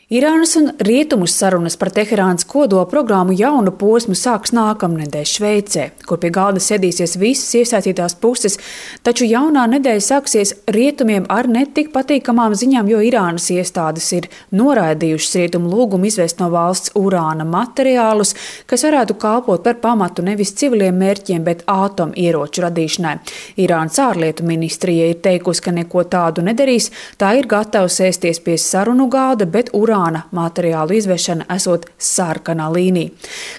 Irānas un Rietumu sarunas par Teherānas kodola programmu jaunu posmu sāks nākamnedēļ Šveicē, kur pie galda sēdīsies visas iesaistītās puses, taču jaunā nedēļa sāksies Rietumiem ar netik patīkamām ziņām, jo Irānas iestādes ir noraidījušas Rietumu lūgumu izvest no valsts urāna materiālus, kas varētu kalpot par pamatu nevis civiliem mērķiem, bet ātomieroču radīšanai. Irānas ārlietu ministrija ir teikusi, ka neko tādu nedarīs, tā ir gatava sēsties pie sarunu galda, bet urāna materiālu izvešana esot sarkanā līnija.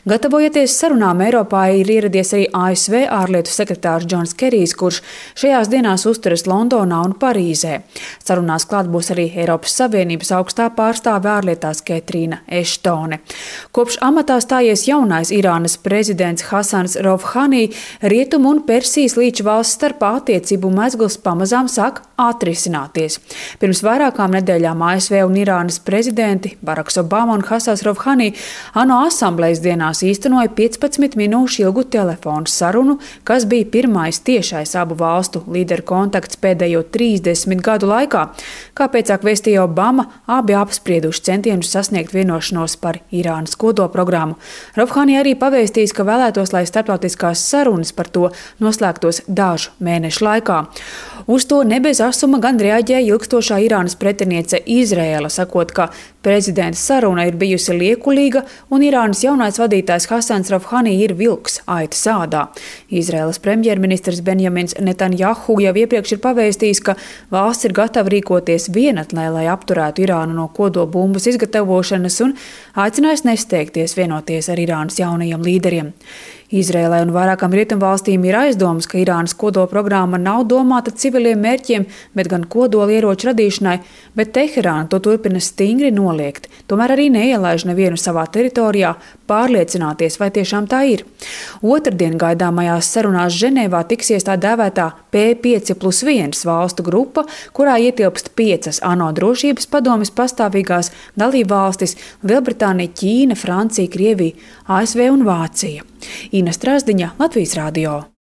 Gatavojoties sarunām, Eiropā ir ieradies arī ASV ārlietu sekretārs Džons Kerijs, kurš šajās dienās uzturas Londonā un Parīzē. Sarunās klāt būs arī Eiropas Savienības augstā pārstāve ārlietās Ketrīna Eštone. Kopš amatā stājies jaunais Irānas prezidents Hasans Rouhani, Rietumu un Persijas līča valsts starpā attiecību mezgls pamazām sāk atrisināties. Pirms vairākām nedēļām ASV un Irānas prezidenti Baraks Obama un Hasans Rouhani ANO asamblejas dienās īstenoja 15 minūšu ilgu telefonu sarunu, kas bija pirmais tiešais abu valstu līderu kontakts pēdējo 30 gadu laikā. Kā pēcāk vēstīja Obama, abi apsprieduši centienus sasniegt vienošanos par Irānas kodolprogrammu. Rouhani arī pavēstījis, ka vēlētos, lai starptautiskās sarunas par to noslēgtos dažu mēnešu laikā. Uz to ne bez asuma gan reaģēja ilgstošā Irānas pretiniece Izraēla, sakot, ka prezidenta saruna ir bijusi liekulīga un Irānas jaunais vadītājs Hasans Rouhani ir vilks aitas ādā. Izraēlas premjerministrs Benjamins Netanjahu jau iepriekš ir pavēstījis, ka valsts ir gatava rīkoties vienatnē, lai apturētu Irānu no kodolbumbas izgatavošanas un aicinājis nesteigties vienoties ar Irānas jaunajiem līderiem. Izraēlai un vairākām rietumvalstīm ir aizdomas, ka Irānas kodolprogramma nav domāta civiliem mērķiem, bet gan kodolieroču radīšanai, bet Teherāna to turpina stingri noliegt. Tomēr arī neielaiž nevienu savā teritorijā pārliecināties, vai tiešām tā ir. Otrdien gaidāmajās sarunās Ženēvā tiksies tā dēvētā P5+1 valstu grupa, kurā ietilpst 5 ANO drošības padomes pastāvīgās dalībvalstis – Lielbritānija, Ķīna, Francija, Krievija, ASV un Vācija. Ina Strasdiņa, Latvijas radio.